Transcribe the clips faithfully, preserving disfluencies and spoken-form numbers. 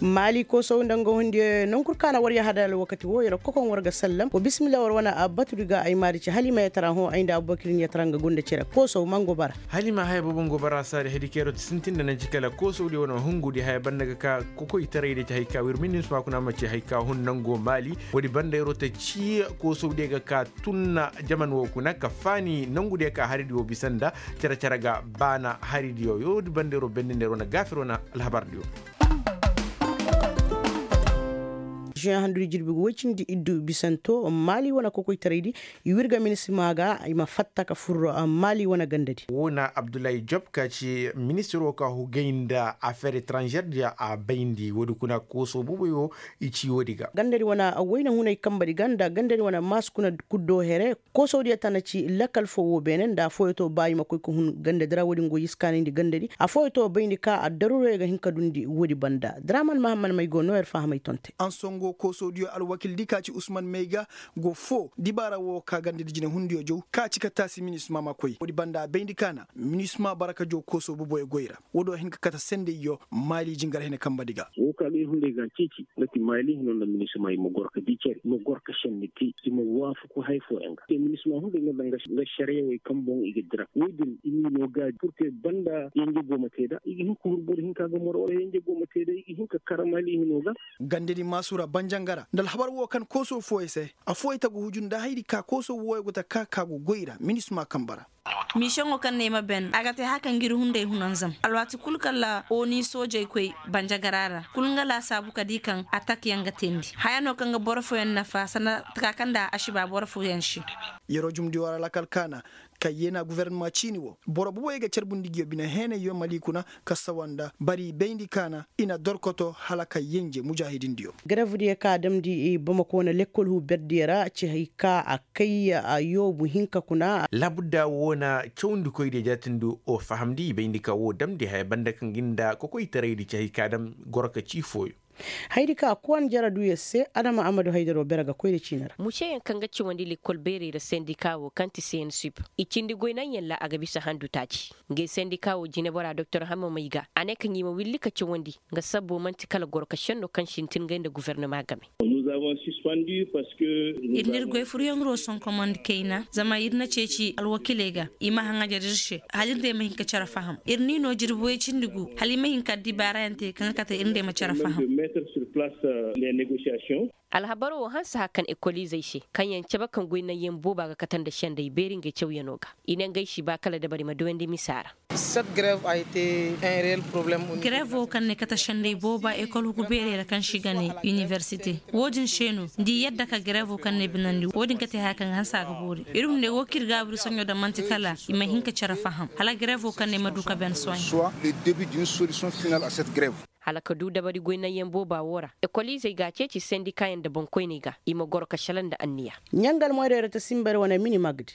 Maali koosow nda nga hundiyo nangu kul kaŋ a na war yahada alwakati woo yer kokoŋ war ga sallam wa bisimilla war wane batudi ga ay maadi ci hala i ma yatara hõ ay nda abubakir ni yatara nga gunda cere koosow mangu bara. Hala i ma haya boobo nga bara saadi haydi kaŋ yeroo ti sintin nda nanci kala koosowdiyo wane hungudi haya banda ga ka kokoytaray da ci hay ka wir minisma kuna ma ci hay ka hun nango maali. Woodi banda yeroo ta ci koosowdiyo ga ka tunna jaman woo kuna ka faani nangudiyo ka haridiyo bisa nda cere-cere ga baana haridiyo woodi banda yeroo bendindi yeroo na gaafiroo na alhabardiyo. Juin handudi jirbi ga woy cindi iddu bisanto maali wane kokoytaraydi i wirga minisima ga i ma fatta ka fur maali wane gandadi. Woo na abdullahi job ka ci ministiroo ka hugay nda afeer etranžeer diya a bayndi woodi kuna koosoo boboyo. I ci woodi ga gandadi wane wayna hunay kambadi ga nda gandadi wane maas kuna kuddo here. Koosowdiyo tana ci lakal foo woo beene nda afooyo to ba i ma koy ka hun gandadi ra woodin go i si kaanayndi gandadi afooyo to bayndi ka addaruroyo ga hin ka dundi woodi banda draman mahamman may go no yer fahamay tonte. Ansongo koosowdiyo alwakildi ka ci usman may ga go foo dibaara woo ka gandadi jinehundiyo jaw ka ci ka taasi minisma ma koy woodi banda a bayndi ka na minisma bara ka jaw koosow boboyo goy ra. Woodiyo hin ka kate sendayyo maali jingar hene kambadi ga. Woo ka ga ir hunday ga ceeci nga ti maali hino nda minisma i ma goro ka dii cere i ma goro ka sende te i ma waafaku hay fooyaŋ ga te minisma hunday nga daŋ nga šariyawey kaŋ boŋ i ga dira woodin i ma i no gaaji purke banda yanje go ma te nda i ga hin ka huru boro hinka ga moro wala yanje go ma te nda i ga hin ka kara maali hino ga. Gandadi maasura banjangara nda alhabar woo kaŋ kooso fooyey se. Afooyey ta ga huju nda haydi ka kooso wooyo go ta ka ka go goy ra minisma kaŋ bara. Miisoŋo kaŋ no ay ma ben a ga te haya kaŋ ga ir hunday hunanzam alwaati kul kala oni soojey koy banjagara ra kul nga laasaabu ka di kaŋ atak yaŋ ga teendi haya no kaŋ ga boro fooyaŋ nafa sanda taka kaŋ nda asiba boro fooyaŋ se. Yeroo jumndi wara lakal kaana kaŋ yeena gufornama ciini wo boro boboy ga carbundi ngiyo bine heenayyo mali kuna ka sawa nda bari bayndi kaana i na dorkoto hala ka yenje mujaahidindiyo. Garevdiyo ka a damndi bamako wane lekkol huu berdiyo ra ci hay ka a kay a yoobu hinka kuna. Labudda wo na cawndikoydiyo jaatindi o fahamndi i bayndi ka wo damndi haya banda kaŋ ga nda kokoytaraydi ci hay ka dam goro ka ci fooyo. Haydi ka kowane jara duuyaŋ se adama amadu haydaro bere ga koy nda ciini ra. Museyaŋ kaŋ ga cawandi lekkol beerey ra sendika wo kaŋ ti cnsip i cindi goynaŋyaŋ ra a ga bisa handu taaci. Ngey sendika wo jinebora doktor hamma may ga a ne kaŋ i ma willi ka cawandi nga sabbo man'ti kala goro ka senno kaŋ sintin ngey nda gufornama game. Ir n'ir goy furyaŋ ro sonkomandi kayna zama ir na ceeci alwakiley ga i ma haŋajar ir se hala ir day ma hin ka care faham ir n'i no jirbi way cindi gu hala i ma hin ka addibaarayaŋ te kaŋ ga kate ir day ma care faham. Alhabaro wo hanse haka kaŋ ekoliizey se kaŋ yaŋ cabe kaŋ goy naŋyaŋ booba ga kate nda senday beeri ngey cawyano ga i ne ngey si ba kala dabari ma duyandi misa ra. Gereev wo kaŋ na ay kate senday booba ekol hugu beerey ra kaŋ se i ga ne iniversite. Wo-din se no nda i yadda ka gereev wo kaŋ na ay binandi wo-din ga te haya kaŋ ga hanse a ga boori ir hunday wo kaŋ ir gaabu ir soɲõ daŋ man'ti kala i ma hin ka care faham hala gereev wo kaŋ na ay ma du ka ben sohã. Hala ka du dabari goy naŋyaŋ booba wo ra ekoliizey ga a ceeci sendikaayaŋ nda boŋkoyney ga i ma goro ka šelaŋ nda anniya. Ɲangal moyra yara ta sinbari wane mini magdi.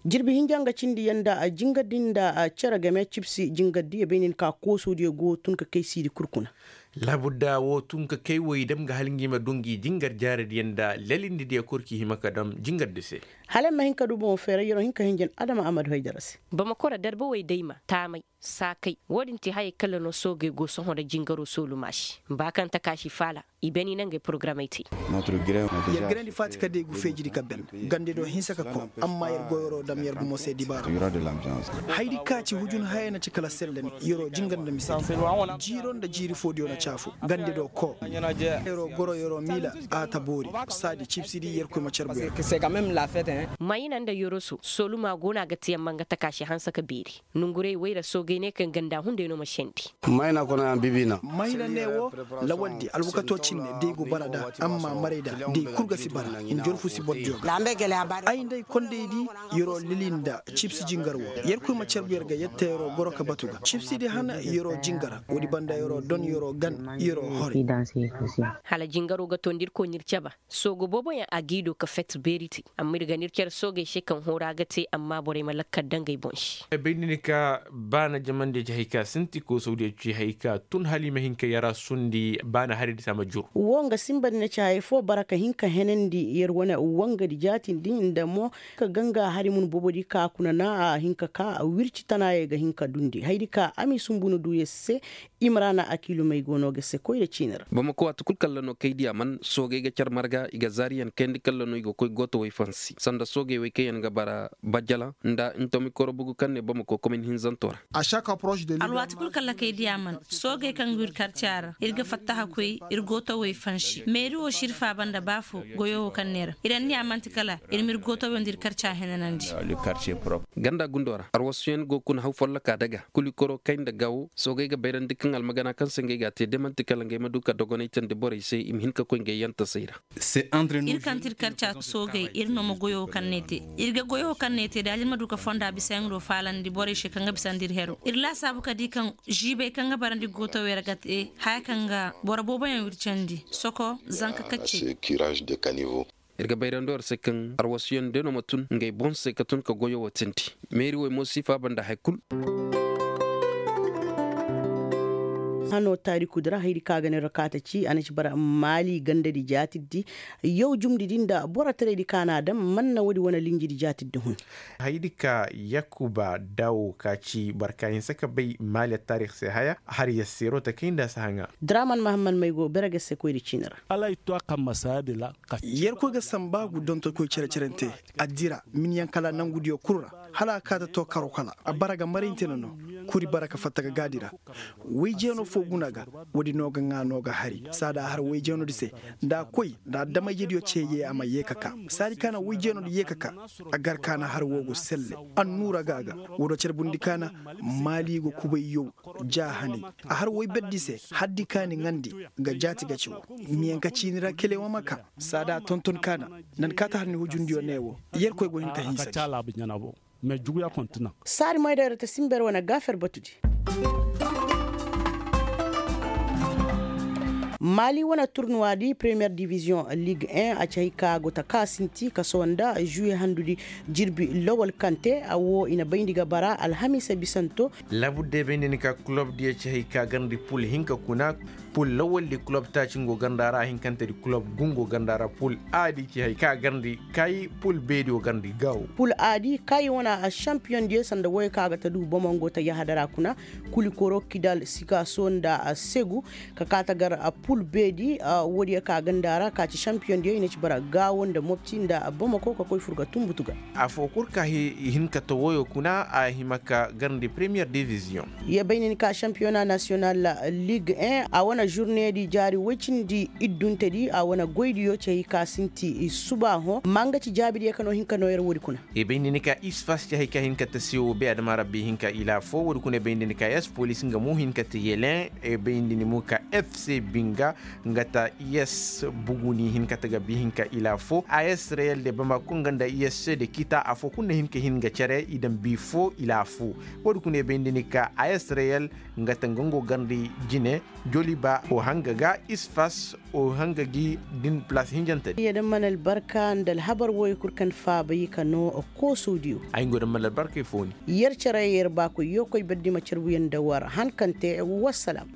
Jirbi hinja nga cindi yanda jingardi nda cere game cibsi jingardi ya bay nin ka koosodiyo go tun ka kay siidi kul kuna. Labudda wo tun ka kay woy dam ga hala ngi ma du ngi jingar jaaradiyo nda lelindidiyo kul ki hima ka dam jingardi se. Hala ay ma hin ka du boŋo feeray yero hin ka hinjin adama amadu haydara se. Bamako ra darba woy dayma taamay. Saakay wo-din ti hayey kala no soogey go sohõ nda jingaro soolumaasi ba kaŋ takaasi faala. I beni na ngey porogaramey te. Yer ganandi faati ka day gu feejidi ka ben gande do hinsa ka koŋ. Amma yer go yeroo dam yer gumo se dibaaro. Haydi ka ci hujun hayey na ci kala sellani yeroo jingar nda mise. Jiiro nda jiiri foodiyo na caafu gande do koo. Yeroo goro yeroo miila a ta boori. Saadi cibsidi yerkoy ma carbu yer. Mayina nda yoroso soolumaa go no a ga te amma nga takaasi hanse ka beeri. Nonguray wayra soogay ne kaŋ ganda hunday no ma sendi. Mayna ne wo lawaldi alwakato cinne day go bara da amma maray da day kul ga si bara. Njorfu si boro diyo ga ay nday kondaydi. Yeroo lili nda cibsi jingar wo yerkoy ma carbu yer ga yette yeroo goro ka batu ga cibsidi han yeroo jingar. Woodi banda yeroo don yeroo gana. Hala jingaroo ga too nda ir koy n'ir caba. Soogu booboyaŋ a g'i do ka fet beeri te. Amma ir ga n'ir care soogey se kaŋ hooraa ga te amma borey ma lakkal daŋ ngey boŋ se. Bay ni ni ka baana jamandi ci hay ka sinti koosawdiyo ci hay ka tun hala i ma hin ka yara sundi baana hari di sama jur. Wo nga sinba ni na ci hay foo bara ka hin ka henandi yer wane wangadi jaatindi nda mo ka ganga hari mun boobodi ka kuna na a hin ka ka wirci tanaayey ga hin ka dundi haydi ka a m'i sumbu na duu yer se. Imrana akiilumey go no ga se koy nda ciini ra. Bamako waati kul kalla no kay diya man soogey ga car marga i ga zaariyaŋ kayandi kalla no i ga koy gooto way fansi sanda soogey way kaŋ yaŋ ga bara bajjalaŋ nda ntomi koro bugu kaŋ ne bamako komin hinzanto ra. Alwaati kul kalla kay diya man soogey kaŋ go ir karca ra ir ga fattaha koy ir gooto way fansi meeri wo si ir faaba nda baafo goyo wo kaŋ ne ra ir anniya man'ti kala ir m'ir gooto way nda ir karca henanandi. Ganda gundo ra arwasuyaŋ go kuna haw folloka daga kuli koro kay nda gawo soogey ga bayrandi kaŋ almagana kaŋ se ngey ga a te da man'ti kala ngey ma du ka dogonay tandi borey se i ma hin ka koy ngey yantasey ra. Ir kaŋ ti ir karca soogey ir no ma goyo kaŋ ne te ir ga goyo kaŋ ne te da hala ir ma du ka fonda bisayaŋ do faalandi borey se kaŋ ga bisandi ir hero ir laasaabu ka di kaŋ ziibey kaŋ ga barandi gootawey ra ga te haya kaŋ ga boro booboyaŋ wircandi soko zanka kaccey. Ir ga bayrandi war se kaŋ arwasuyaŋ de no ma tun ngey boŋ se ka tun ka goyo wo tindi meeri wey mo si faaba nda hay kul. Hano taarikudi ra haydi ka ga ne ra kaata ci a na ci bara maali gandadi jaatiddi yaw jumdidi nda borotaraydi ka na a daŋ man na woodi wane linjidi jaatiddi hun. Haydi ka yakuba dawo ka ci boro ka hinsa ka bay maali taarikh se haya har yasseero ta kay nda a si haŋa. Draman mahamman may go bere ga se koyri ciini ra. Yerkoy ga sambaagu dontokoy cere-cerente a dira minyaŋ kala nangudiyo kul ra hala a kaata to karo kala a bara ga marayntena no. Kuri bara ka fatta ga gaadi ra wayjeeno fo guna ga woodi no ga ŋaa no ga hari saada a har wayjeenodi se nda a koy nda adamayjediyo ceeye a ma yee ka ka saadi ka na wayjeenodi yee ka ka a gar ka na har woo go selle. Annuura ga a ga woodi cere bundi ka na maali go kubay yow ja hanay a har woy berdi se haddi kaani ŋandi ga jaati ga ci wo. Miyaŋ ka ciini ra kelewa ma ka saada tonton kaana nan kaata har ni hujundiyo ne wo. Yerkoy go hin ka hinsa di. Saari moyda yero ta simber wane gaafer batudi. Maali wane turnuwa di premiyer diviziyoŋ liig en a ci hay ka go ta ka sinti kaso nda žuwe handudi jirbi lawal kaŋ te a wo i na bayndi ga bara alhamiisa bisanto. Laabudde bay nda ni ka kulob diyo ci hay ka garndi pul hinka kuna. Pul lawal di kulob taaci ngo garnda ra hinkante di kulob gu ngo garnda ra pul a di ci hay ka garndi kay pul beedi wo garndi gaw. Pul a di kay wane a šampiyoŋ diyo sanda woyo ka ga ta du bomo ngo ta yahadara kuna. Kuli koro kidal sikaso nda a segu ka ka ta gar a pul beedi. Woodiyo ka ganda ra ka ci šampiyoŋ diyo i na ci bara gaawo nda mopti nda a bamako ka koy fur ga tumbutu ga. Afo kul ka i hin ka ta woyo kuna a hima ka garndi premiyer diviziyoŋ. Ye bay nin ka šampiyona nasiyonal liig en a wane žurneedi jaari woy cindi idduntedi a wane goydiyo cey ka sinti suba hõ ma nga ci jaabidiyo ka no hin ka no yer woodi kuna. E bayndi ni ka isfas ci hay ka hin ka ta sewo be adama rabbi hin ka ila fo woodi kuna e bayndi ni ka yas polis nga mo hin ka ta yelen. E bayndi ni mo ka fc binga nga ta yas buguni hin ka ta ga bi hin ka ila fo a yas reyel de bamako nga nda yas se de kita afo kulu na hin ka hin ga cere i daŋ bi fo ila fo. Woodi kuna e bayndi ni ka a yas reyel nga ta nga ngo garndi jine joliba o hanga ga isfas o hanga gi din plas hinjante. Yadda mana albarka nda alhabar woy kul kaŋ faaba yi ka no koosodiyo. Ay ngo da mana albarka i fooni. Yer cere yer baakoy yokoy baddi ma carbuyaŋ da war hankante. Wassalam.